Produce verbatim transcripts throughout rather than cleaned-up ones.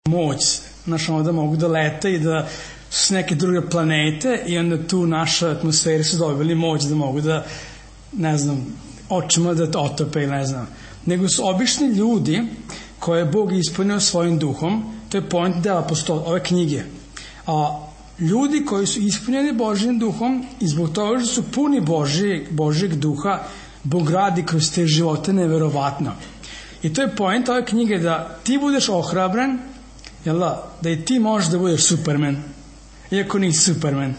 moć, znaš, onda mogu da lete i da su s neke druge planete i onda tu naša atmosferi su dobili moć da mogu da, ne znam, očima da otope ili ne znam. Nego su obični ljudi koje je Bog ispunio svojim duhom, to je point dela postoje, ove knjige. A ljudi koji su ispunjeni Božjim duhom i zbog toga što su puni Božijeg, Božjeg duha, Bog radi kroz te živote neverovatno. I to je point ove knjige, da ti budeš ohrabren, jel da, da i ti možeš da budeš Superman, iako nisi Superman.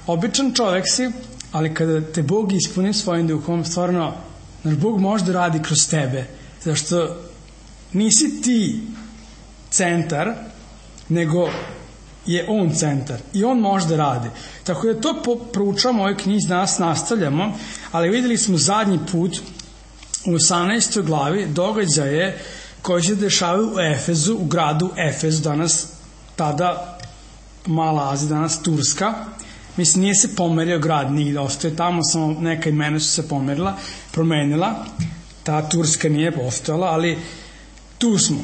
Običan čovek si, ali kada te Bog ispuni svojim duhom, stvarno, znaš, Bog može da radi kroz tebe, zašto nisi ti centar, nego je on centar i on može da radi. Tako da to proučavamo u ovoj knjizi, danas nastavljamo, ali videli smo zadnji put u osamnaestoj glavi događaje koji se dešavaju u Efezu, u gradu Efezu, danas tada Mala Azija, danas Turska. Mislim, nije se pomerio grad nigde, ostaje tamo, samo neka imena su se pomerila, promenila, ta Turska nije postojala, ali tu smo.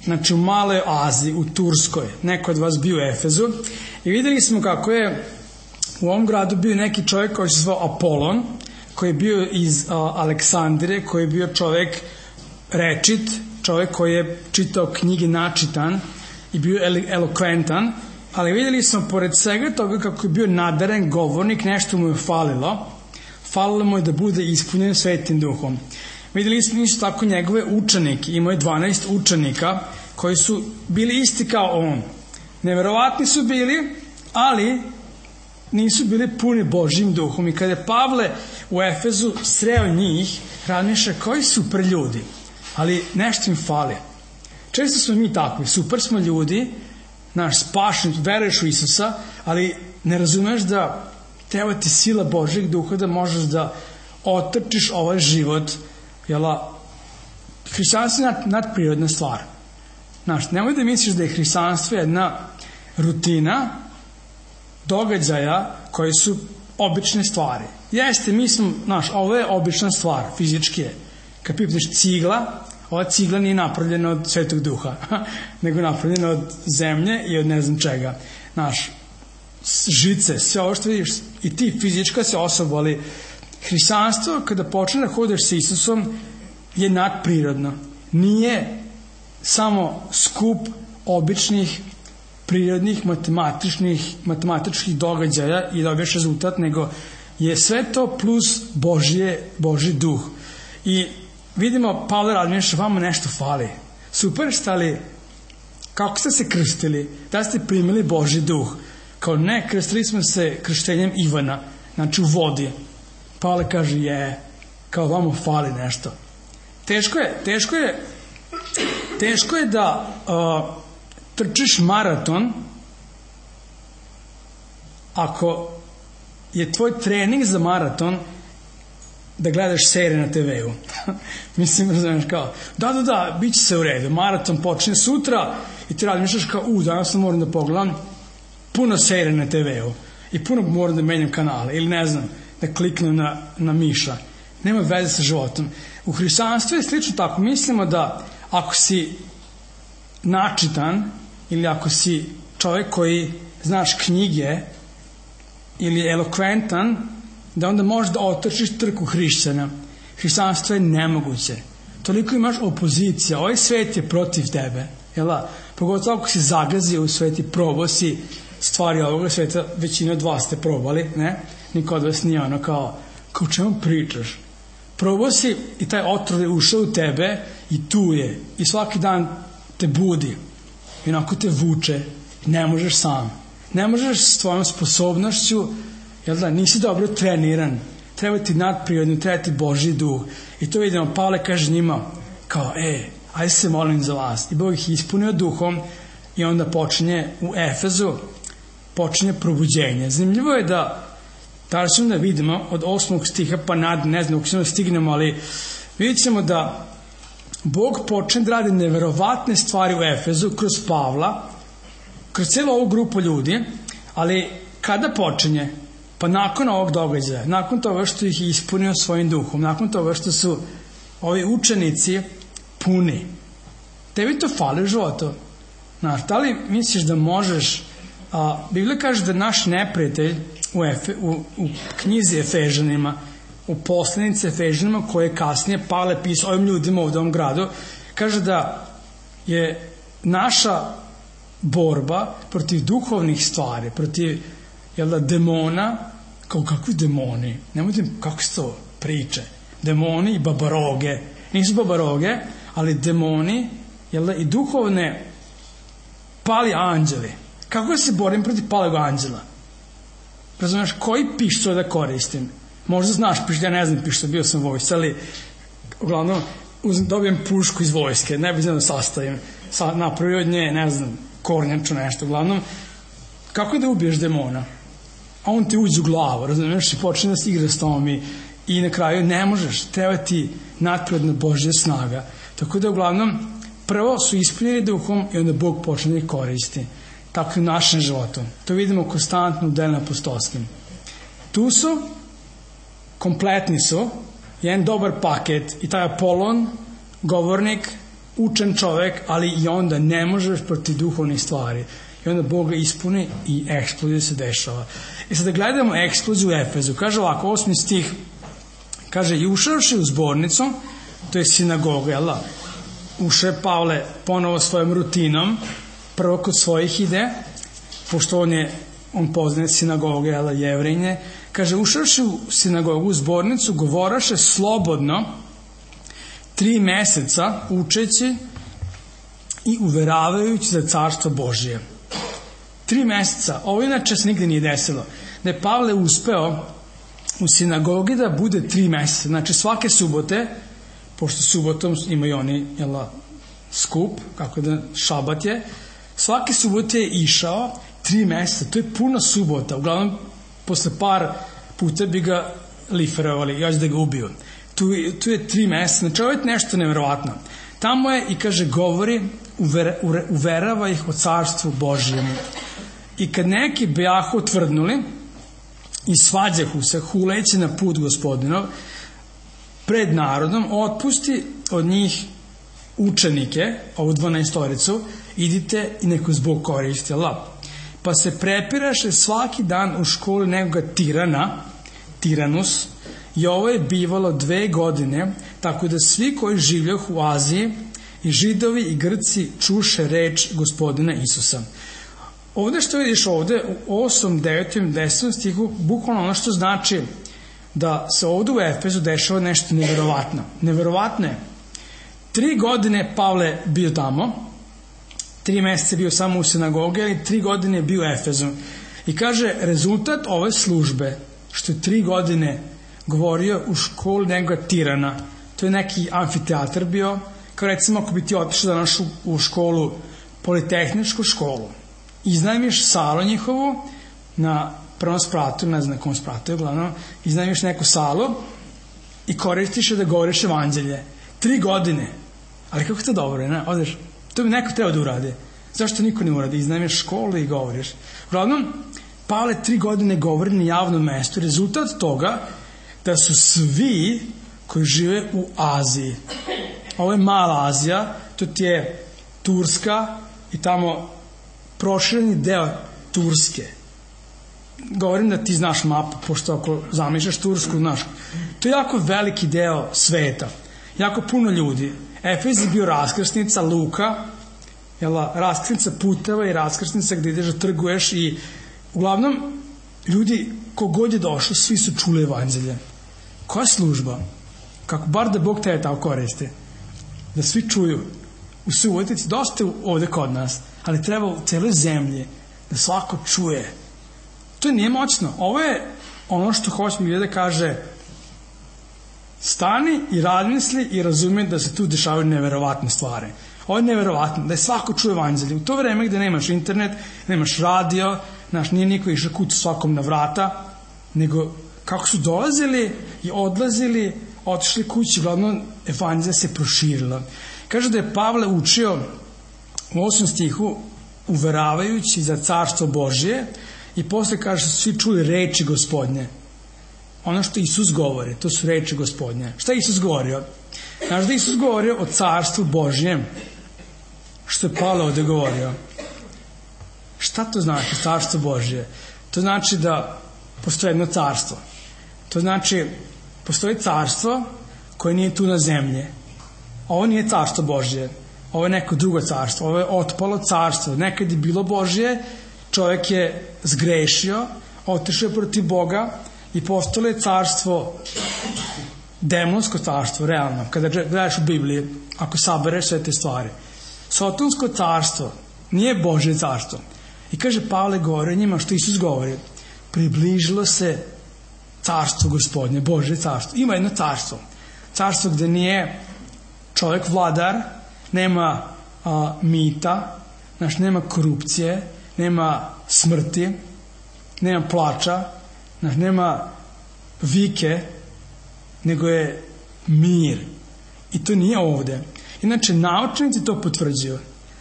Znači u Maloj Aziji, u Turskoj, neko od vas bio u Efezu i videli smo kako je u ovom gradu bio neki čovjek koji se zvao Apolon, koji je bio iz uh, Aleksandrije, koji je bio čovjek rečit, čovjek koji je čitao knjige načitan i bio elokventan, ali videli smo pored svega toga kako je bio nadaren govornik, nešto mu je falilo, falilo mu je da bude ispunjen Svetim duhom. Videli smo isto tako njegove učenike, imao je dvanaest učenika koji su bili isti kao on. Neverovatni su bili, ali nisu bili puni Božjim duhom. I kada je Pavle u Efezu sreo njih, razmišlja koji super ljudi, ali nešto im fali. Često smo mi takvi, super smo ljudi, naš spašen, veruješ u Isusa, ali ne razumeš da treba ti sila Božjeg duha da možeš da otrčiš ovaj život. Jela, hrišćanstvo je nad, nadprirodna stvar. Znaš, nemoj da misliš da je hrišćanstvo jedna rutina događaja koji su obične stvari. Jeste, mi smo, znaš, ovo je obična stvar, fizički je. Kad pipneš cigla, ova cigla nije napravljena od Svetog duha, nego napravljena od zemlje i od ne znam čega. Znaš, žice, sve ovo što vidiš, i ti fizička se osoba, ali hrišćanstvo, kada počne da hodeš sa Isusom, je nadprirodno. Nije samo skup običnih, prirodnih, matematičnih, matematičkih događaja i dobiješ rezultat, nego je sve to plus Božje, Božji duh. I vidimo, Pavle razmišlja, vama nešto fali. Super ste, ali kako ste se krstili? Da ste primili Božji duh? Kao ne, krstili smo se krštenjem Ivana, znači u vodi. Pavle kaže, je, kao vama fali nešto. Teško je, teško je, teško je da uh, trčiš maraton ako je tvoj trening za maraton da gledaš serije na te veu. Mislim, razumiješ kao, da, da, da, bit će se u redu, maraton počne sutra i ti razmišljaš kao, u, danas moram da pogledam puno serije na te veu i puno moram da menjam kanale ili ne znam, da kliknem na, na miša. Nema veze sa životom. U hrišćanstvu je slično tako. Mislimo da ako si načitan ili ako si čovjek koji znaš knjige ili elokventan, da onda možeš da otrčiš trku hrišćana. Hrišćanstvo je nemoguće. Toliko imaš opozicija. Ovaj svet je protiv tebe. Jela? Pogotovo ako si zagazio u svet i probao si stvari ovoga sveta, većina od vas ste probali, ne? Niko od vas nije ono kao, kao čemu pričaš? Probao si i taj otrov je ušao u tebe i tu je. I svaki dan te budi. I onako te vuče. Ne možeš sam. Ne možeš s tvojom sposobnošću, jel da, nisi dobro treniran. Treba ti nadprirodno, treba ti Božji duh. I to vidimo, Pavle kaže njima, kao, e, ajde se molim za vas. I Bog ih ispunio duhom i onda počinje u Efezu, počinje probuđenje. Zanimljivo je da da ćemo da vidimo od osmog stiha pa nad, ne znam, ako ćemo da stignemo, ali vidjet ćemo da Bog počne da radi neverovatne stvari u Efezu kroz Pavla, kroz cijelu ovu grupu ljudi, ali kada počinje? Pa nakon ovog događaja, nakon toga što ih je ispunio svojim duhom, nakon toga što su ovi učenici puni. Tebi to fali u životu. Znaš, da li misliš da možeš, a, Biblija kaže da naš neprijatelj u, Efe, u, u knjizi Efežanima, u poslanici Efežanima, koje je kasnije Pavle pisao ovim ljudima u ovom gradu, kaže da je naša borba protiv duhovnih stvari, protiv jel da, demona, kao kakvi demoni, nemojte kako se to priče, demoni i babaroge, nisu babaroge, ali demoni, jel da, i duhovne pali anđeli. Kako se borim protiv palog anđela? Razumiješ, koji pištolj da koristim? Možda znaš pištolj, ja ne znam pištolj, bio sam vojsci, ali uglavnom dobijem pušku iz vojske, ne bi znam da sastavim, sa, napravio od nje, ne znam, kornjaču nešto, uglavnom, kako da ubiješ demona? A on ti uđe u glavu, razumiješ, i počne da se igra s tom i, i na kraju ne možeš, treba ti nadprirodna Božja snaga. Tako da uglavnom, prvo su ispunjeni duhom i onda Bog počne da ih koristi. Tako i u našem životu. To vidimo konstantno u delima apostolskim. Tu su, kompletni su, jedan dobar paket i taj Apolon, govornik, učen čovek, ali i onda ne možeš protiv duhovnih stvari. I onda Bog ga ispuni i eksplozija se dešava. I sada gledamo eksploziju u Efezu. Kaže ovako, osmi stih, kaže, i ušavši u zbornicu, to je sinagoga, jel da? Uše Pavle ponovo svojom rutinom, prvo kod svojih ide, pošto on je, on poznaje sinagoge, jel da, Jevrejnje, kaže, ušavši u sinagogu, u zbornicu, govoraše slobodno tri meseca učeći i uveravajući za carstvo Božije. Tri meseca, ovo inače se nigde nije desilo, da je Pavle uspeo u sinagogi da bude tri meseca, znači svake subote, pošto subotom imaju oni, jel, skup, kako da, šabat je, svake subote je išao tri meseca, to je puno subota, uglavnom posle par puta bi ga liferovali, još da ga ubiju. Tu, tu je tri meseca, znači ovo je nešto nevjerovatno. Tamo je i kaže, govori, uver, uverava ih o carstvu Božijemu. I kad neki bejahu otvrdnuli i svađahu se, huleći na put Gospodinov, pred narodom, otpusti od njih učenike, ovu dvanaestoricu, idite i neko zbog koristi, Allah. Pa se prepiraše svaki dan u školi nekoga tirana, tiranus, i ovo je bivalo dve godine, tako da svi koji življoh u Aziji, i Židovi i Grci, čuše reč Gospodina Isusa. Ovde što vidiš ovde, u osmom, devetom, desetom stihu, bukvalno ono što znači da se ovde u Efezu dešava nešto neverovatno. Neverovatno je. Tri godine Pavle bio tamo, tri meseca bio samo u sinagogi, ali tri godine je bio u Efezu. I kaže, rezultat ove službe, što je tri godine govorio u školi nekoga tirana, to je neki amfiteatar bio, kao recimo ako bi ti otišao danas u, u školu, politehničku školu, iznajmiš salu njihovu na prvom spratu, ne znam na kom spratu je uglavnom, iznajmiš neku salu i koristiš je da govoriš evanđelje. Tri godine. Ali kako to dobro, ne? Odeš, to bi neko treba da uradi. Zašto niko ne uradi? Iznajmiš školu i govoriš. Uglavnom, Pavle tri godine govori na javnom mestu. Rezultat toga da su svi koji žive u Aziji. Ovo je mala Azija, to ti je Turska i tamo prošireni deo Turske. Govorim da ti znaš mapu, pošto ako zamišljaš Tursku, znaš. To je jako veliki deo sveta. Jako puno ljudi. Efez je bio raskrsnica, Luka, jela, raskrsnica puteva i raskrsnica gde ideš da trguješ i uglavnom ljudi kogod je došao, svi su čuli evanđelje. Koja služba? Kako bar da Bog tebe tako koristi? Da svi čuju. U Subotici dosta ovde kod nas, ali treba u celoj zemlji da svako čuje. To nije moćno. Ovo je ono što hoće mi da kaže, stani i razmisli i razumije da se tu dešavaju neverovatne stvari. Ovo je neverovatno, da je svako čuje evanđelje. U to vreme gde nemaš internet, nemaš radio, znaš, nije niko išao kući svakom na vrata, nego kako su dolazili i odlazili, otišli kući, uglavnom evanđelje se proširila. Kaže da je Pavle učio u osmom stihu, uveravajući za carstvo Božije, i posle kaže su svi čuli reči Gospodnje. Ono što Isus govori, to su reči Gospodnje. Šta je Isus govorio? Znaš da Isus govorio o carstvu Božjem, što je Pavle ovde govorio. Šta to znači carstvo Božje? To znači da postoji jedno carstvo. To znači postoji carstvo koje nije tu na zemlji. Ovo nije carstvo Božje. Ovo je neko drugo carstvo. Ovo je otpalo carstvo. Nekad je bilo Božje, čovjek je zgrešio, otišao je protiv Boga i postalo je carstvo, demonsko carstvo, realno. Kada gledaš u Bibliji, ako sabereš sve te stvari. Sotonsko carstvo nije Božje carstvo. I kaže Pavle govori njima što Isus govori. Približilo se carstvo Gospodnje, Božje carstvo. Ima jedno carstvo. Carstvo gde nije čovjek vladar, nema a, mita, znači nema korupcije, nema smrti, nema plača, znači nema vike, nego je mir. I to nije ovde. Inače, naučnici to potvrđuju.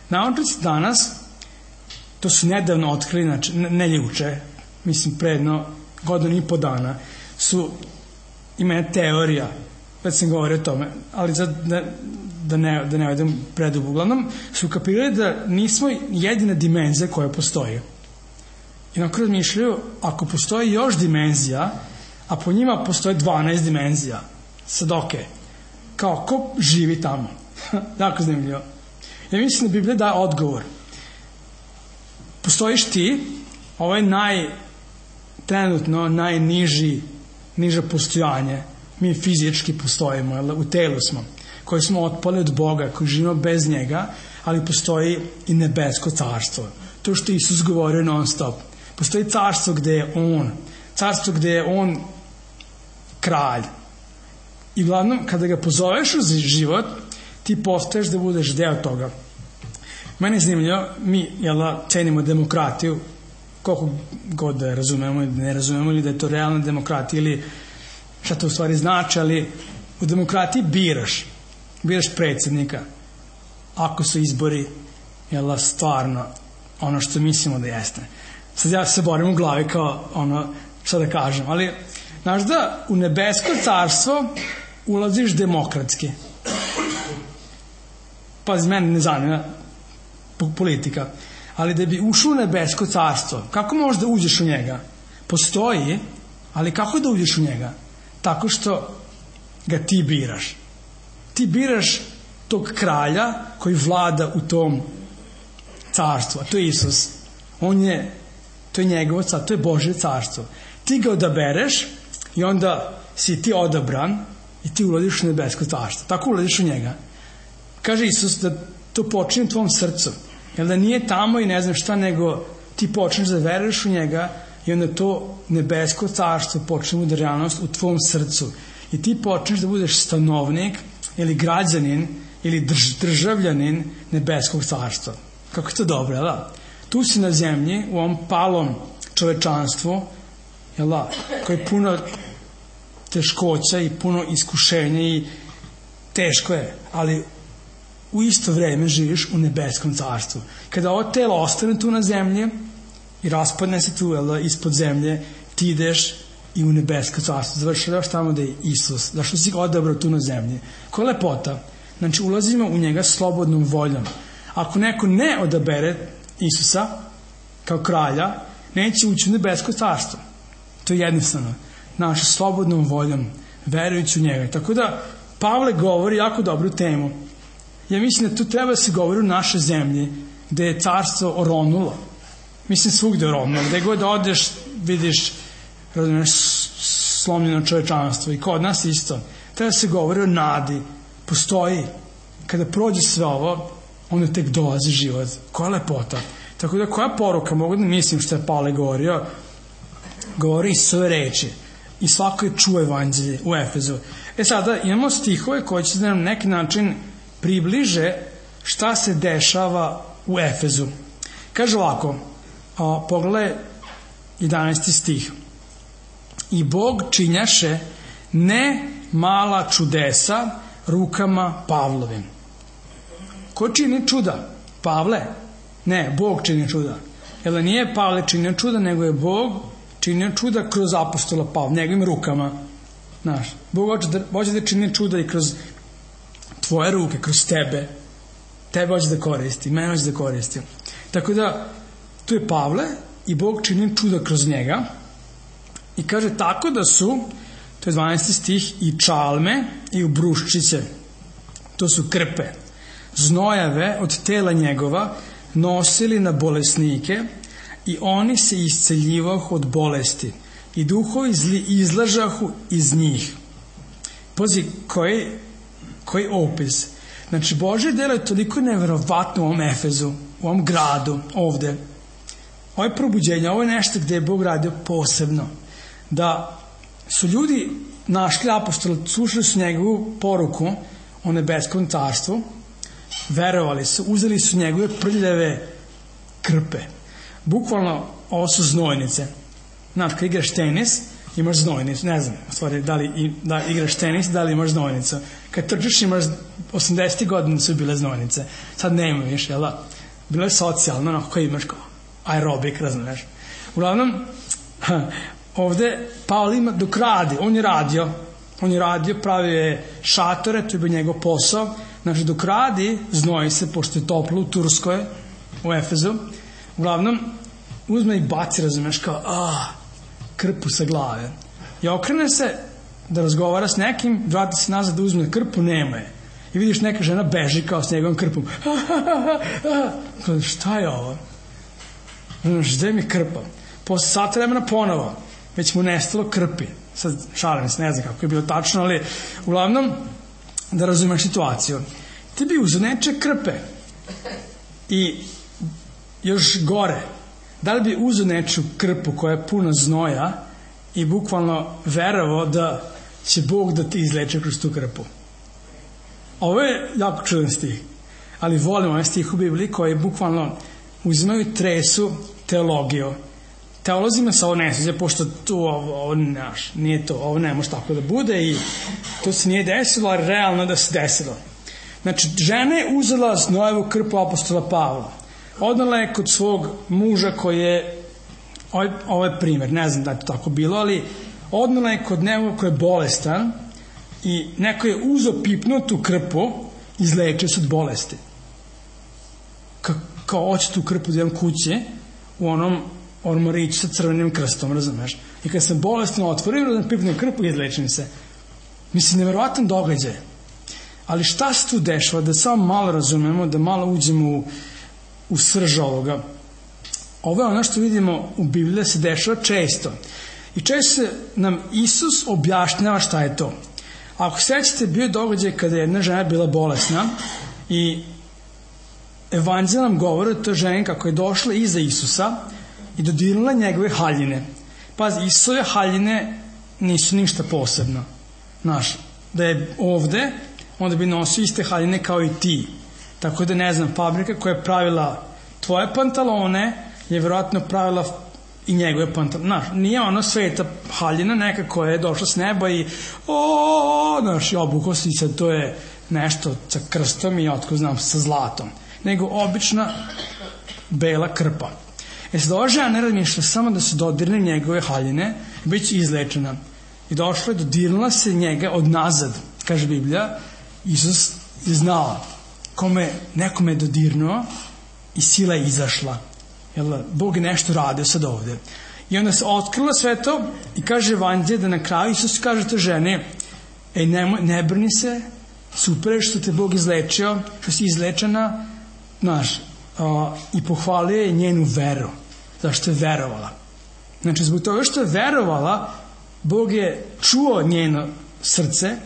Naučnici danas, to su nedavno otkrili, znači, ne juče, mislim predno godinu i po dana, su, ima jedna teorija, već sam govorio o tome, ali za, da, da ne, da ne odem predugo, uglavnom, su kapirali da nismo jedina dimenzija koja postoji. I nakon razmišljaju, ako postoji još dimenzija, a po njima postoje dvanaest dimenzija, sad ok, kao ko živi tamo? Tako zanimljivo. Ja mislim da Biblija daje odgovor. Postojiš ti, ovo je naj, trenutno najniži, niže postojanje. Mi fizički postojimo, jel, u telu smo, koji smo otpali od Boga, koji živimo bez njega, ali postoji i nebesko carstvo. To što Isus govorio non stop. Postoji carstvo gde je On, carstvo gde je On kralj. I uglavnom, kada ga pozoveš u život, ti postaješ da budeš deo toga. Mene je zanimljivo, mi jela, cenimo demokratiju, koliko god da razumemo ili ne razumemo, ili da je to realna demokratija, ili šta to u stvari znači, ali u demokratiji biraš, biraš predsjednika, ako su izbori jela, stvarno ono što mislimo da jeste. Sad ja se borim u glavi kao ono, šta da kažem, ali znaš da u nebesko carstvo ulaziš demokratski. Pazi, mene ne zanima politika, ali da bi ušao u nebesko carstvo, kako možeš da uđeš u njega? Postoji, ali kako da uđeš u njega? Tako što ga ti biraš. Ti biraš tog kralja koji vlada u tom carstvu, a to je Isus. On je, to je njegovo carstvo, to je Božje carstvo. Ti ga odabereš i onda si ti odabran i ti ulaziš u nebesko carstvo. Tako ulaziš u njega. Kaže Isus da to počinje u tvom srcu. Jer da nije tamo i ne znam šta, nego ti počneš da veruješ u njega i onda to nebesko carstvo počne da realnost u tvom srcu. I ti počneš da budeš stanovnik ili građanin ili drž, državljanin nebeskog carstva. Kako je to dobro, jel da? Tu si na zemlji, u ovom palom čovečanstvu, jel da, koji je puno teškoća i puno iskušenja i teško je, ali u isto vreme živiš u nebeskom carstvu. Kada ovo telo ostane tu na zemlji i raspadne se tu, jel da, ispod zemlje, ti ideš i u nebesko carstvo. Završavaš tamo da je Isus, zašto si ga odabrao tu na zemlji. Koja je lepota? Znači, ulazimo u njega slobodnom voljom. Ako neko ne odabere Isusa kao kralja, neće ući u nebesko carstvo. To je jednostavno. Naša slobodnom voljom, verujući u njega. Tako da, Pavle govori jako dobru temu. Ja mislim da tu treba se govori u našoj zemlji, gde je carstvo oronulo. Mislim, svugde oronulo. Gde god odeš, vidiš, razumiješ, slomljeno čovečanstvo. I kod nas isto. Treba se govori o nadi. Postoji. Kada prođe sve ovo, onda tek dolazi život. Koja lepota. Tako da, koja poruka, mogu da mislim što je Pavle govorio, govori Isuse reči. I svako je čuo evanđelje u Efezu. E sada, imamo stihove koji će na neki način približe šta se dešava u Efezu. Kaže ovako, a, pogledaj jedanaesti stih. I Bog činjaše ne mala čudesa rukama Pavlovim. Ko čini čuda? Pavle? Ne, Bog čini čuda. Jer nije Pavle činio čuda, nego je Bog činio čuda kroz apostola Pavla, njegovim rukama. Znaš, Bog hoće da, hoće da čini čuda i kroz tvoje ruke, kroz tebe. Tebe hoće da koristi, mene hoće da koristi. Tako da, tu je Pavle i Bog čini čuda kroz njega i kaže tako da su, to je dvanaesti stih, i čalme i ubruščice, to su krpe, znojave od tela njegova nosili na bolesnike i oni se isceljivahu od bolesti i duhovi zli izlažahu iz njih. Pazi, koji, koji opis. Znači, Božje delo je toliko neverovatno u ovom Efezu, u ovom gradu, ovde. Ovo je probuđenje, ovo je nešto gde je Bog radio posebno. Da su ljudi našli apostola, slušali su njegovu poruku o nebeskom carstvu, verovali su, uzeli su njegove prljave krpe. Bukvalno, ovo su znojnice. Znaš, kad igraš tenis, imaš znojnicu, ne znam, u stvari, da li da igraš tenis, da li imaš znojnicu. Kad trčiš, imaš, osamdesetih godina su bile znojnice. Sad nema više, jel da? Bilo je socijalno, onako koji imaš kao aerobik, razumiješ. Uglavnom, ovde Pavle ima dok radi, on je radio, on je radio, pravio je šatore, to je bio njegov posao. Znači, dok radi, znoji se, pošto je toplo u Turskoj, u Efezu. Uglavnom, uzme i baci, razumiješ, kao, a, krpu sa glave. I okrene se da razgovara s nekim, vrati se nazad da uzme krpu, nema je. I vidiš neka žena beži kao s njegovom krpom. Kada, šta je ovo? Znaš, gde mi krpa? Posle sata vremena ponovo, već mu nestalo krpi. Sad šalim se, ne znam kako je bilo tačno, ali uglavnom, da razumeš situaciju. Ti bi uzeo neče krpe i još gore, da li bi uzeo neču krpu koja je puna znoja i bukvalno verovao da će Bog da ti izleče kroz tu krpu? Ovo je jako čudan stih, ali volim ovaj stih u Bibliji koji bukvalno uzimaju tresu teologiju. Teolozima se ovo ne sviđa, pošto tu ovo, ovo naš, nije to, ovo ne može tako da bude i to se nije desilo, ali realno da se desilo. Znači, žena je uzela znojevu krpu apostola Pavla. Odnala je kod svog muža koji je, ovaj, ovaj primjer, ne znam da je to tako bilo, ali odnala je kod nekoga koji je bolestan i neko je uzeo pipnuo tu krpu i izlečio se od bolesti. Ka, kao hoće tu krpu da imam kuće u onom ormariću sa crvenim krstom, razumeš? I kad sam bolestan otvorio, da pipnuo krpu i izlečim se. Mislim, nevjerovatan događaj. Ali šta se tu dešava? Da samo malo razumemo, da malo uđemo u u srž ovoga. Ovo je ono što vidimo u Bibliji da se dešava često. I često se nam Isus objašnjava šta je to. Ako sećate, bio je događaj kada je jedna žena bila bolesna i evanđelj nam govori o toj ženi kako je došla iza Isusa i dodirnula njegove haljine. Pazi, Isusove haljine nisu ništa posebno. Znaš, da je ovde, onda bi nosio iste haljine kao i ti. Tako da, ne znam, fabrika koja je pravila tvoje pantalone je vjerojatno pravila i njegove pantalone. Znaš, nije ono sveta haljina neka koja je došla s neba i o, znaš, i obuko si sad, to je nešto sa krstom i otko znam, sa zlatom. Nego obična bela krpa. E sad, ova žena razmišlja samo da se dodirne njegove haljine i bit će izlečena. I došla je, dodirnula se njega od nazad, kaže Biblija. Isus je znao. Kome nekome je dodirnuo i sila je izašla. Jel, Bog je nešto radio sad ovde. I onda se otkrila sve to i kaže evanđelje da na kraju Isus kaže te žene, ej, ne, ne brni se, super je što te Bog izlečio, što si izlečena, znaš, a, i pohvalio je njenu veru, zašto je verovala. Znači, zbog toga što je verovala, Bog je čuo njeno srce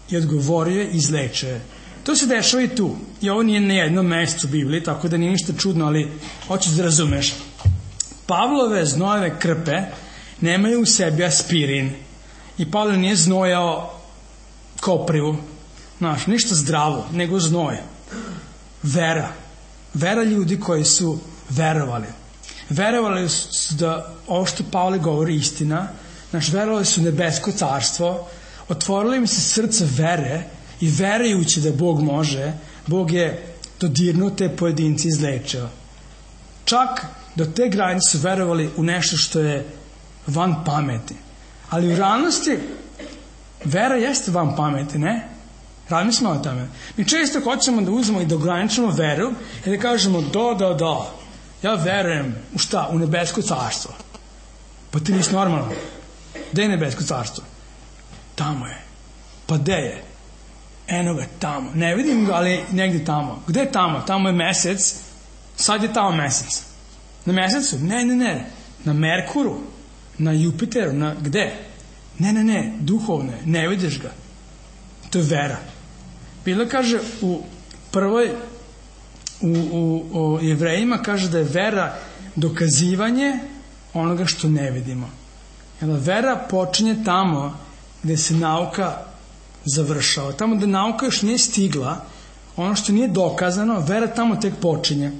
i odgovorio je i izlečio je. To se dešava i tu. I ovo nije na jednom mestu u Bibliji, tako da nije ništa čudno, ali hoćeš da razumeš. Pavlove znojeve krpe nemaju u sebi aspirin. I Pavle nije znojao koprivu. Znaš, ništa zdravo, nego znoje. Vera. Vera ljudi koji su verovali. Verovali su da ovo što Pavle govori istina. Znaš, verovali su nebesko carstvo. Otvorili im se srce vere i verujući da Bog može, Bog je dodirnuo te pojedinci izlečio. Čak do te granice su verovali u nešto što je van pameti. Ali u realnosti vera jeste van pameti, ne? Razmislimo o tome. Mi često hoćemo da uzmemo i da ograničimo veru i da kažemo da, da, da. ja verujem u šta? U nebesko carstvo. Pa ti nisi normalno. Gde je nebesko carstvo? Tamo je. Pa gde je? Eno ga tamo. Ne vidim ga, ali negdje tamo. Gde je tamo? Tamo je mesec. Sad je tamo mesec. Na mesecu? Ne, ne, ne. Na Merkuru. Na Jupiteru. Na gde? Ne, ne, ne. Duhovno je. Ne vidiš ga. To je vera. Bila kaže u prvoj u, u, u Jevrejima kaže da je vera dokazivanje onoga što ne vidimo. Jer vera počinje tamo gde se nauka završava. Tamo gde nauka još nije stigla, ono što nije dokazano, vera tamo tek počinje.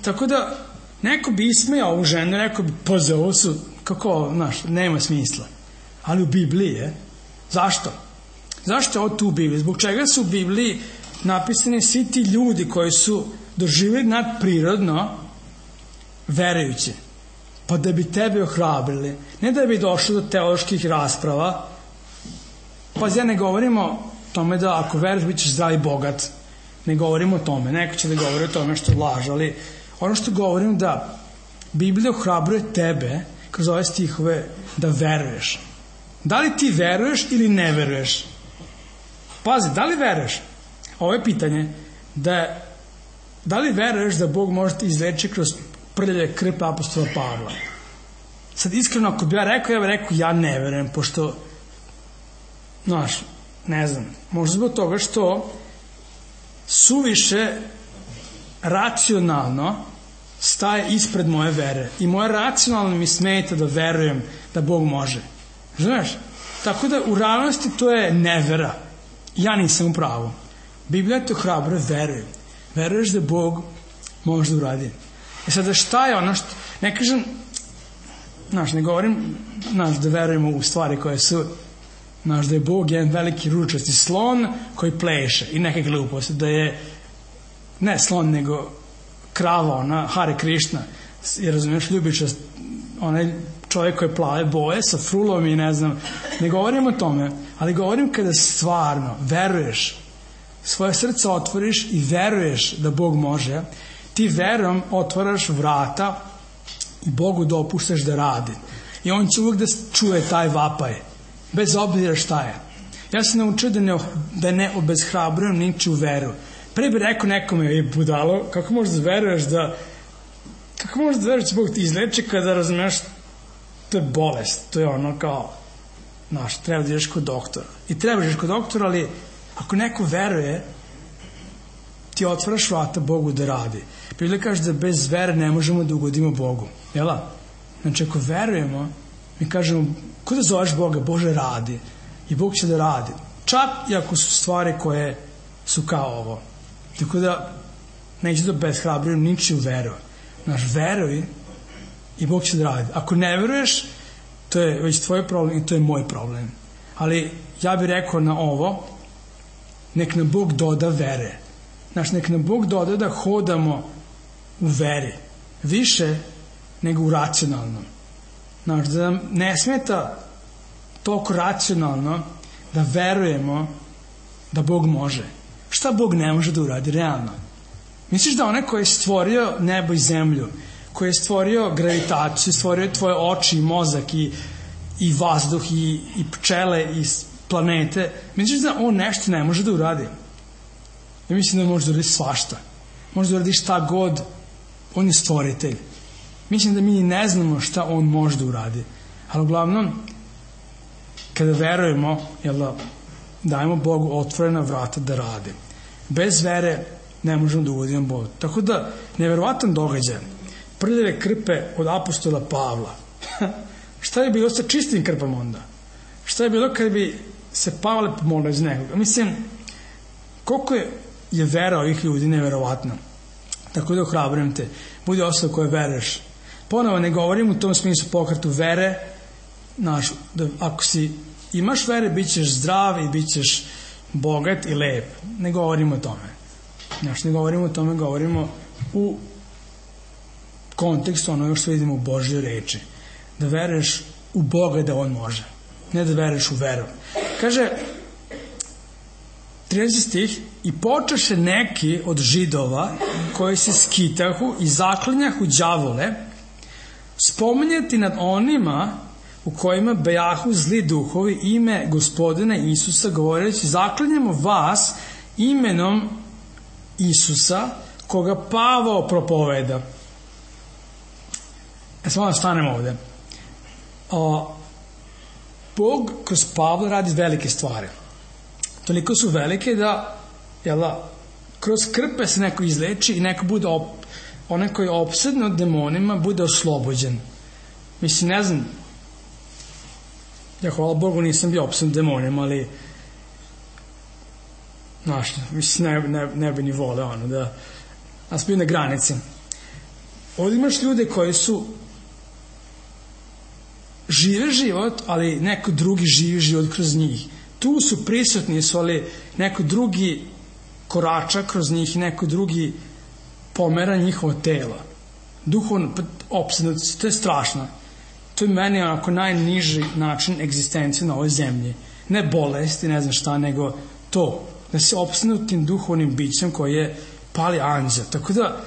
Tako da neko bi ismejao ovu ženu, neko bi pa za ovo su, kako, znaš, nema smisla. Ali u Bibliji je. Zašto? Zašto je ovo tu u Bibliji? Zbog čega su u Bibliji napisani svi ti ljudi koji su doživjeli nadprirodno verujući? Pa da bi tebe ohrabrili. Ne da bi došlo do teoloških rasprava. Pa ja ne govorimo o tome da ako veruješ bit ćeš zdrav i bogat. Ne govorimo o tome. Neko će da govori o tome što laže, ali ono što govorim da Biblija ohrabruje tebe kroz ove stihove da veruješ. Da li ti veruješ ili ne veruješ? Pazi, da li veruješ? Ovo je pitanje da da li veruješ da Bog može te izleči kroz prljave krpe apostola Pavla? Sad iskreno ako bi ja rekao, ja bih rekao ja ne verujem, pošto znaš, ne znam, možda zbog toga što suviše racionalno staje ispred moje vere i moje racionalno mi smeta da verujem da Bog može. Znaš? Tako da u realnosti to je nevera. Ja nisam u pravu. Biblija te hrabro veruje. Veruješ da Bog može da uradi. E sada šta je ono što... Ne kažem, znaš, ne govorim znaš, da verujemo u stvari koje su... Znaš, da je Bog jedan veliki ručasti slon koji pleše i neke gluposti. Da je, ne slon, nego krava, ona, Hare Krishna. Jer razumiješ, ljubičast, onaj čovjek koji plave boje sa frulom i ne znam. Ne govorim o tome, ali govorim kada stvarno veruješ, svoje srce otvoriš i veruješ da Bog može, ti verom otvaraš vrata i Bogu dopuštaš da radi. I on će uvijek da čuje taj vapaj, bez obzira šta je. Ja sam naučio da ne, da ne obezhrabrujem ničiju veru. Pre bi rekao nekome, je budalo, kako možeš da veruješ da kako možeš da veruješ da Bog ti izleči kada razumeš to je bolest, to je ono kao znaš, treba da ideš kod doktora. I treba da ideš kod doktora, ali ako neko veruje, ti otvaraš vrata Bogu da radi. Biblija kaže da bez vere ne možemo da ugodimo Bogu. Jela? Znači, ako verujemo, mi kažemo, ko da zoveš Boga? Bože, radi. I Bog će da radi. Čak i ako su stvari koje su kao ovo. Tako da, neće da bezhrabrujem ničiju veru. Znaš, veruj i Bog će da radi. Ako ne veruješ, to je već tvoj problem i to je moj problem. Ali ja bih rekao na ovo, nek nam Bog doda vere. Znaš, nek nam Bog doda da hodamo u veri. Više nego u racionalnom. Znaš, da nam ne smeta toliko racionalno da verujemo da Bog može. Šta Bog ne može da uradi realno? Misliš da onaj koji je stvorio nebo i zemlju, koji je stvorio gravitaciju, stvorio tvoje oči i mozak i, i vazduh i, i pčele i planete, misliš da on nešto ne može da uradi? Ja mislim da može da uradi svašta. Može da uradi šta god. On je stvoritelj. Mislim da mi ne znamo šta on može da uradi. Ali uglavnom, kada verujemo, jel da, dajemo Bogu otvorena vrata da radi. Bez vere ne možemo da uvodimo Boga. Tako da, neverovatan događaj. Prljave krpe od apostola Pavla. Šta je bilo sa čistim krpama onda? Šta je bilo kad bi se Pavle pomolio iz nekoga? Mislim, koliko je, je vera ovih ljudi neverovatna. Tako da ohrabrujem te. Budi osoba koja veruješ. Ponovo ne govorim u tom smislu pokretu vere. Znaš, da ako si imaš vere, bit ćeš zdrav i bit ćeš bogat i lep. Ne govorimo o tome. Znaš, ne govorimo o tome, govorimo u kontekstu onoga što vidimo u Božjoj reči. Da veruješ u Boga da On može. Ne da veruješ u veru. Kaže trinaesti stih, i počeše neki od Židova koji se skitahu i zaklinjahu đavole spominjati nad onima u kojima bejahu zli duhovi ime Gospodina Isusa, govoreći: zaklinjamo vas imenom Isusa koga Pavao propoveda. E samo da stanemo ovde. O, Bog kroz Pavla radi velike stvari. Toliko su velike da jela, kroz krpe se neko izleči i neko bude op, onaj koji je opsednut demonima bude oslobođen. Mislim, ne znam, ja hvala Bogu nisam bio opsednut demonima, ali znaš, mislim, ne, ne, ne bi ni vole ono, da nas bio na granici. Ovdje imaš ljude koji su žive život, ali neko drugi živi život kroz njih. Tu su prisutni su, ali neko drugi korača kroz njih i neko drugi pomera njihovo telo. Duhovno opsednuti, to je strašno. To je meni onako najniži način egzistencije na ovoj zemlji. Ne bolesti, ne znam šta, nego to. Da se opsednutim duhovnim bićem koji je pali anđel. Tako da,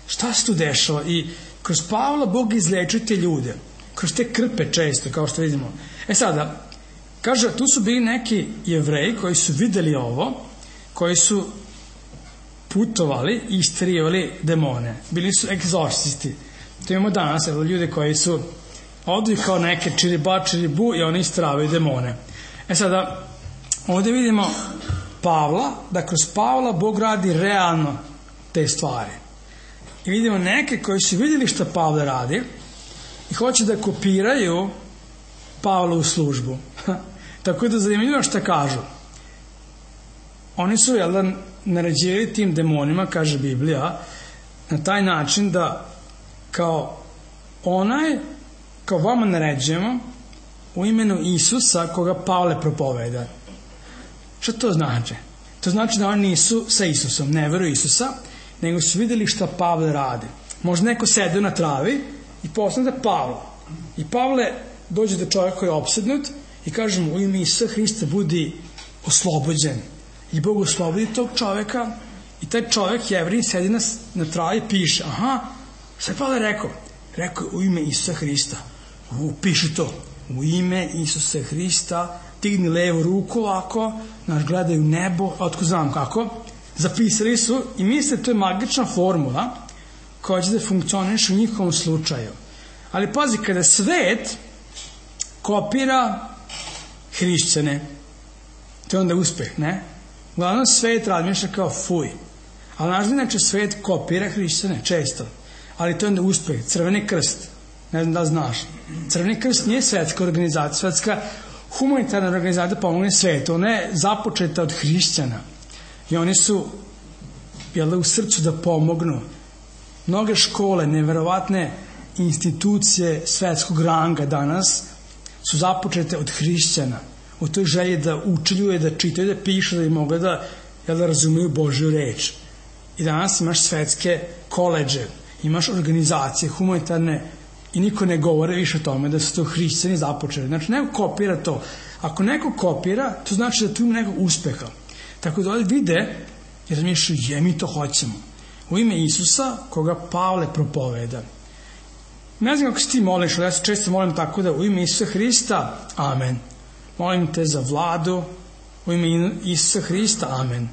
šta se tu dešava? I kroz Pavla Bog izlečuje te ljude. Kroz te krpe često, kao što vidimo. E sada, kaže, tu su bili neki Jevreji koji su videli ovo, koji su putovali i isterivali demone. Bili su egzorcisti. To imamo danas, evo, ljude koji su odu kao neke čiriba, čiribu i oni isteravaju demone. E sada, ovdje vidimo Pavla, da kroz Pavla Bog radi realno te stvari. I vidimo neke koji su vidjeli šta Pavle radi i hoće da kopiraju Pavlovu službu. Tako da zanimljivo šta kažu. Oni su, jel da, naređivali tim demonima, kaže Biblija, na taj način da kao onaj, kao vama naređujemo u imenu Isusa koga Pavle propoveda. Šta to znači? To znači da oni nisu sa Isusom, ne veruju Isusa, nego su vidjeli šta Pavle radi. Možda neko sede na travi i posle da Pavla. I Pavle dođe do čovjeka koji je opsednut i kaže mu: u ime Isusa Hrista budi oslobođen. I Bog oslobodi tog čovjeka i taj čovjek, Jevrin, sedi na, na travi i piše: aha, šta je Pavle rekao? Rekao u ime Isusa Hrista. U, piši to. U ime Isusa Hrista, digni levu ruku ovako, naš gledaju nebo, otko znam kako. Zapisali su i misle to je magična formula koja će da funkcioniše u njihovom slučaju. Ali pazi, kada svet kopira hrišćane, to je onda uspeh, ne? Uglavnom svet razmišlja kao fuj. Ali naš inače svet kopira hrišćane često. Ali to je onda uspeh. Crveni krst, ne znam da znaš. Crveni krst nije svetska organizacija, svetska humanitarna organizacija pomogne svetu. Ona je započeta od hrišćana. I oni su, jel, u srcu da pomognu. Mnoge škole, neverovatne institucije svetskog ranga danas su započete od hrišćana. U toj želji da učiljuju, da čitaju, da pišu, da bi mogli da, jel, da razumiju Božju reč. I danas imaš svetske koleđe, imaš organizacije humanitarne i niko ne govore više o tome da su to hrišćani započeli. Znači, neko kopira to. Ako neko kopira, to znači da tu ima nekog uspeha. Tako da ovdje vide i razmišljaju: je, mi to hoćemo. U ime Isusa koga Pavle propoveda. Ne znam kako se ti moliš, ali ja se često molim tako da u ime Isusa Hrista, amen. Molim te za vladu, u ime Isusa Hrista, amen.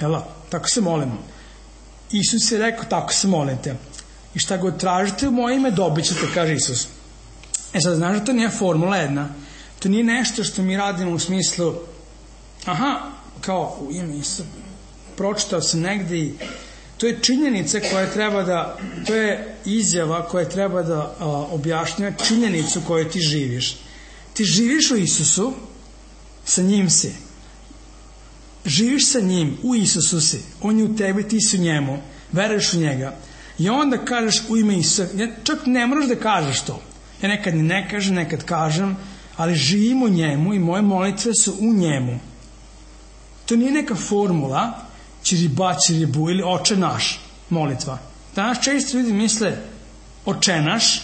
Jel, tako se molimo. Isus je rekao: tako se molite. I šta god tražite u moje ime, dobit ćete, kaže Isus. E sad, znaš da to nije formula jedna. To nije nešto što mi radimo u smislu: aha, kao u ime Isusa, pročitao sam negde i to je činjenica koja treba da, to je izjava koja treba da a, objašnjava činjenicu koju ti živiš. Ti živiš u Isusu, sa njim si. Živiš sa njim, u Isusu si. On je u tebi, ti si u njemu. Veruješ u njega. I onda kažeš u ime Isusa. Ja čak ne moraš da kažeš to. Ja nekad ne kažem, nekad kažem, ali živim u njemu i moje molitve su u njemu. To nije neka formula čiriba, čiribu ili oče naš molitva. Danas često ljudi misle oče naš,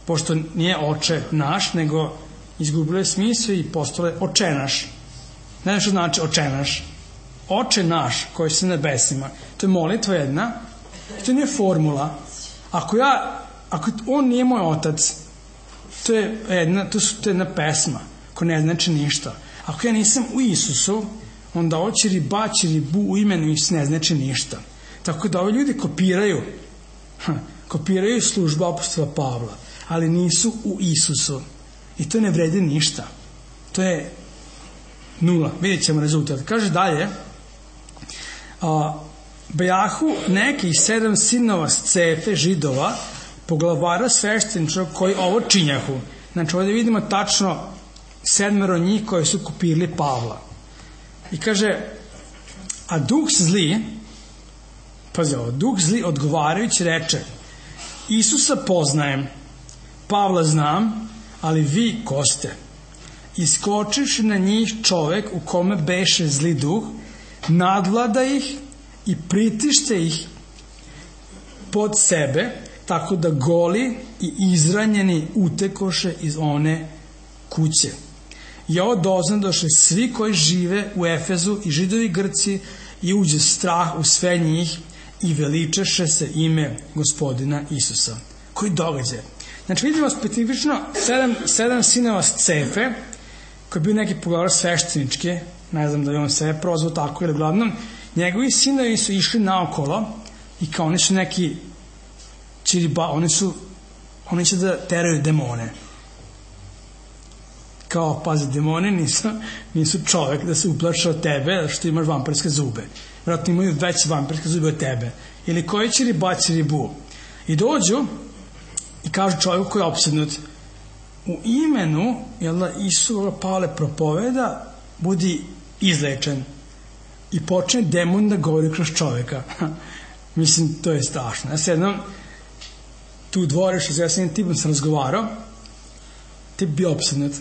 pošto nije oče naš, nego izgubilo je smisao i postalo je oče naš. Ne znam što znači oče naš. Oče naš koji si na nebesima, to je molitva jedna, to nije formula. Ako ja, ako on nije moj otac, to je jedna, to, su, to je jedna pesma koja ne znači ništa. Ako ja nisam u Isusu, onda oči riba, ribu u imenu Isus ne znači ništa. Tako da ovi ljudi kopiraju, ha, kopiraju službu apostola Pavla, ali nisu u Isusu. I to ne vredi ništa. To je nula. Vidjet ćemo rezultat. Kaže dalje, a, bejahu neki sedam sinova Scefe židova, poglavara svešteničkog koji ovo činjahu. Znači ovdje vidimo tačno sedmero njih koji su kopirali Pavla. I kaže, a duh zli, pazi ovo, duh zli odgovarajući reče, Isusa poznajem, Pavla znam, ali vi ko ste? Iskočiš na njih čovek u kome beše zli duh, nadvlada ih i pritište ih pod sebe, tako da goli i izranjeni utekoše iz one kuće. I ovo doznadoše svi koji žive u Efezu i židovi Grci i uđe strah u sve njih i veličeše se ime Gospodina Isusa. Koji događaj? Znači vidimo specifično sedam, sedam sinova Scefe, koji je bio neki poglavar svešteničke, ne znam da je on sebe prozvao tako ili glavnom, njegovi sinovi su išli naokolo i kao oni su neki čiriba, oni su oni će da teraju demone. Kao, pazi, demoni nisu, nisu čovek da se uplaša od tebe što imaš vampirske zube. Vratno imaju veće vampirske zube od tebe. Ili koji će riba, će ribu. I dođu i kažu čovjeku koji je opsednut, u imenu, jel da, Isu Pavle propoveda, budi izlečen. I počne demon da govori kroz čovjeka. Mislim, to je strašno. Ja se jednom tu u dvorištu, ja sam jednim tipom sam razgovarao, tip bio opsednut.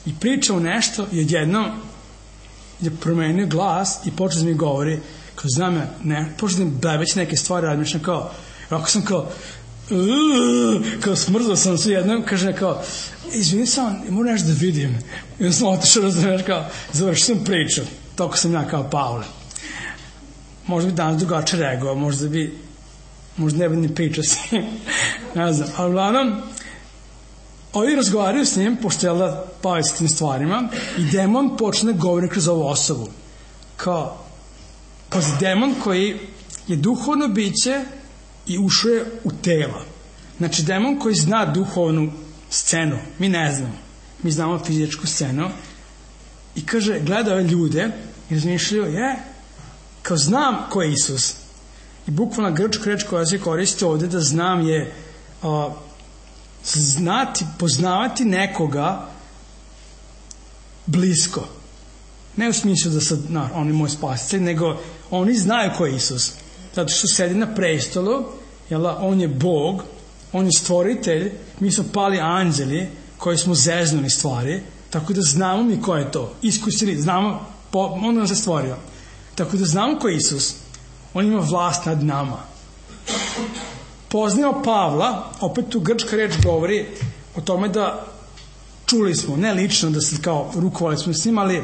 I pričao nešto i odjednom je promenio glas i počeo da mi govori, kao znam ja, ne, počeo da mi blebeći neke stvari, razmišljam kao, ako sam kao, kao smrzao sam se jednom, kaže kao, izvini sam, moram nešto da vidim. I onda sam otišao, razumiješ, kao, završio sam priču, toliko sam ja kao Pavle. Možda bi danas drugače reagovao, možda bi, možda ne bi ni pričao s njim, ne znam, ali uglavnom, ovi razgovaraju s njim, pošto je da bavi s tim stvarima, i demon počne govori kroz ovu osobu. Kao, kao demon koji je duhovno biće i ušao je u tela. Znači, demon koji zna duhovnu scenu, mi ne znamo, mi znamo fizičku scenu, i kaže, gleda ove ljude i razmišljaju, je, kao znam ko je Isus. I bukvalna grčka reč koja se koristi ovde da znam je a, znati, poznavati nekoga blisko. Ne u smislu da sad, na, on je moj spasitelj, nego oni znaju ko je Isus. Zato što sedi na prestolu, jel, on je Bog, on je stvoritelj, mi smo pali anđeli koji smo zeznuli stvari, tako da znamo mi ko je to. Iskusili, znamo, po, on nam se stvorio. Tako da znamo ko je Isus. On ima vlast nad nama. Poznao Pavla, opet tu grčka reč govori o tome da čuli smo, ne lično da se kao rukovali smo s njim, ali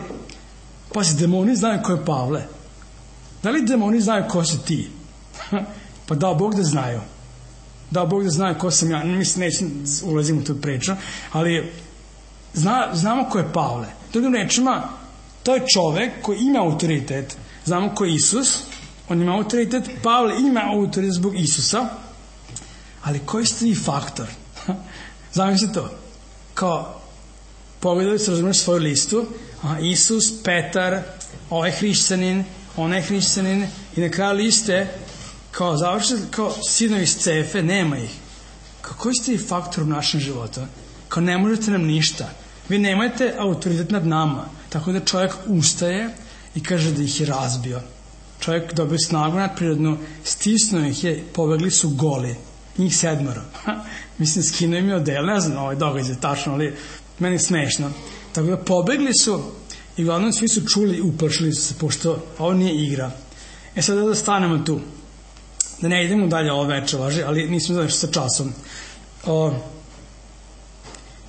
pazi, demoni znaju ko je Pavle. Da li demoni znaju ko si ti? Pa dao Bog da znaju. Dao Bog da znaju ko sam ja. Mislim, nećem ulazim u tu priču, ali zna, znamo ko je Pavle. Drugim rečima, to je čovek koji ima autoritet. Znamo ko je Isus, on ima autoritet, Pavle ima autoritet zbog Isusa, ali koji ste vi faktor? Zamisli to. Kao, pogledali se, razumiješ svoju listu, aha, Isus, Petar, ovaj hrišćanin, onaj hrišćanin, i na kraju liste, kao završite, kao sinovi Scefe, nema ih. Kao, koji ste vi faktor u našem životu? Kao, ne možete nam ništa. Vi nemate autoritet nad nama. Tako da čovjek ustaje i kaže da ih je razbio. Čovjek dobio snagu nadprirodnu, stisnuo ih je, pobegli su goli. Njih sedmoro. Mislim, skinuo im je odel, ne znam ovaj događaj tačno, ali meni je smešno. Tako da pobegli su i uglavnom svi su čuli i uplašili su se, pošto ovo nije igra. E sad da stanemo tu. Da ne idemo dalje ovo večer, laži, ali nismo završili sa časom. O,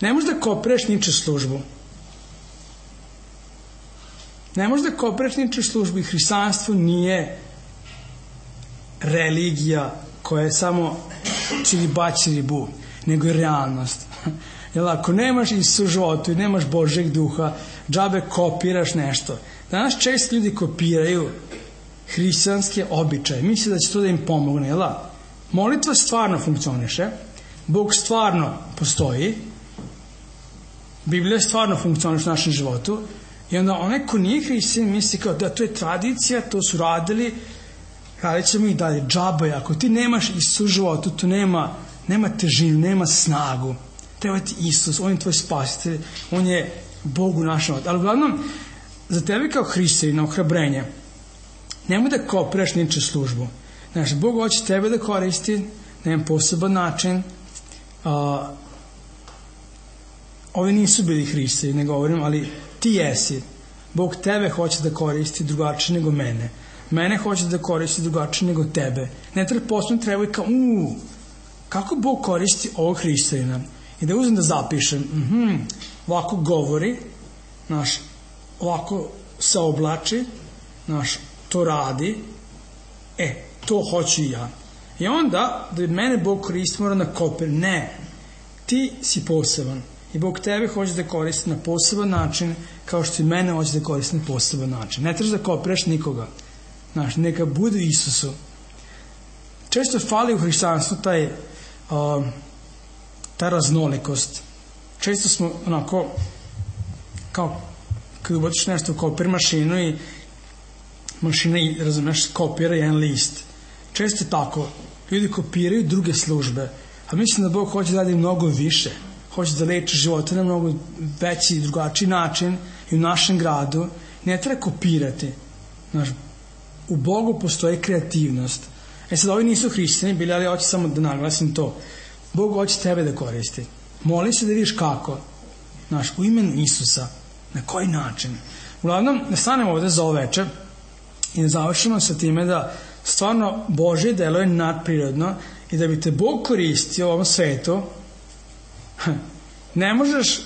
ne možeš da kopireš niče službu. Ne možeš da kopiraš ničiju službu i hrišćanstvo nije religija koja je samo čiriba čiribu, nego je realnost. Jer ako nemaš Isusa u životu i nemaš Božjeg duha, džabe kopiraš nešto. Danas često ljudi kopiraju hrišćanske običaje. Misle da će to da im pomogne. Jel? Molitva stvarno funkcioniše, Bog stvarno postoji, Biblija stvarno funkcioniše u našem životu i onda onaj ko nije hrišćanin misli kao da to je tradicija, to su radili, radit ćemo i dalje. Džabe, ako ti nemaš Isusa u životu, to nema, nema težinu, nema snagu. Treba ti Isus, on je tvoj spasitelj, on je Bog u našem životu. Ali uglavnom, za tebe kao hrišćanina ohrabrenje, nemoj da kopiraš ničiju službu. Znači, Bog hoće tebe da koristi na jedan poseban način. A, ovi nisu bili hrišćani, ne govorim, ali ti jesi. Bog tebe hoće da koristi drugačije nego mene. Mene hoće da koristi drugačije nego tebe. Ne treba posebno treba i kao, uuu, kako Bog koristi ovog hrišćanina? I da uzem da zapišem, mhm, ovako govori, naš, ovako se oblači, naš, to radi, e, to hoću i ja. I onda, da bi mene Bog koristi, mora na kopir. Ne, ti si poseban. I Bog tebe hoće da koristi na poseban način, kao što i mene hoće da koristi na poseban način. Ne trebaš da kopiraš nikoga. Znaš, neka bude Isusu. Često fali u hrišćanstvu taj, uh, ta raznolikost. Često smo onako, kao, kada ubaciš nešto u kopir mašinu i mašina, razumeš, kopira jedan list. Često je tako. Ljudi kopiraju druge službe. A mislim da Bog hoće da radi mnogo više. Hoće da leči živote na mnogo veći i drugačiji način i u našem gradu. Ne treba kopirati. Znaš, u Bogu postoji kreativnost. E sad, ovi nisu hrišćani bili, ali hoće samo da naglasim to. Bog hoće tebe da koristi. Moli se da vidiš kako. Znaš, u imenu Isusa. Na koji način. Uglavnom, da stanemo ovde za ovo večer i da završimo sa time da stvarno Božje delo je nadprirodno i da bi te Bog koristio u ovom svetu, ne možeš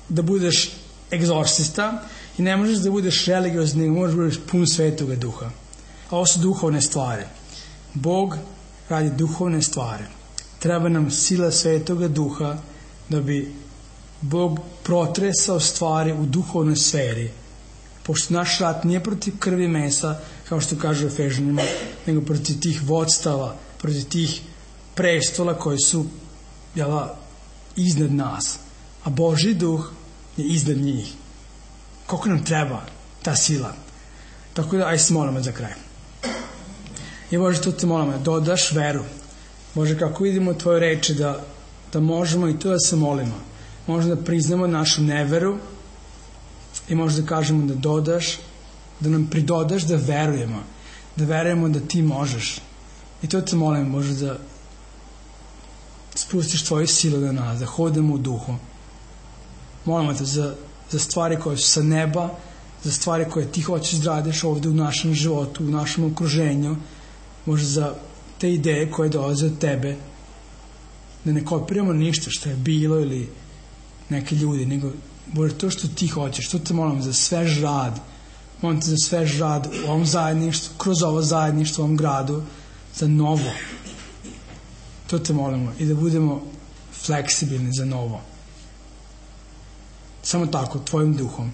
da budeš egzorcista i ne možeš da budeš religiozni, nego možeš da budeš pun Svetoga Duha. A ovo su duhovne stvari. Bog radi duhovne stvari. Treba nam sila Svetoga Duha da bi Bog protresao stvari u duhovnoj sferi. Pošto naš rat nije protiv krvi i mesa, kao što kaže u Efežanima, nego protiv tih vodstava, protiv tih prestola koji su, jela, iznad nas. A Božji duh je iznad njih. Koliko nam treba ta sila? Tako da, aj se molimo za kraj. I Bože, to te molimo, da dodaš veru. Bože, kako vidimo u tvojoj reči da, da možemo i to da se molimo. Možemo da priznamo našu neveru i možda da kažemo da dodaš, da nam pridodaš da verujemo, da verujemo da ti možeš. I to te molim, Bože, da spustiš tvoju silu na nas, da hodimo u duhu. Molimo te za, za stvari koje su sa neba, za stvari koje ti hoćeš da radiš ovde u našem životu, u našem okruženju, Bože, za te ideje koje dolaze od tebe, da ne kopiramo ništa što je bilo ili neke ljudi, nego Bože, to što ti hoćeš, to te molim za svež rad, molim te za svež rad u ovom zajedništvu, kroz ovo zajedništvo, u ovom gradu, za novo. To te molimo i da budemo fleksibilni za novo. Samo tako, tvojim duhom.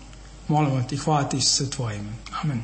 Molimo te i hvala ti se tvojim. Amen.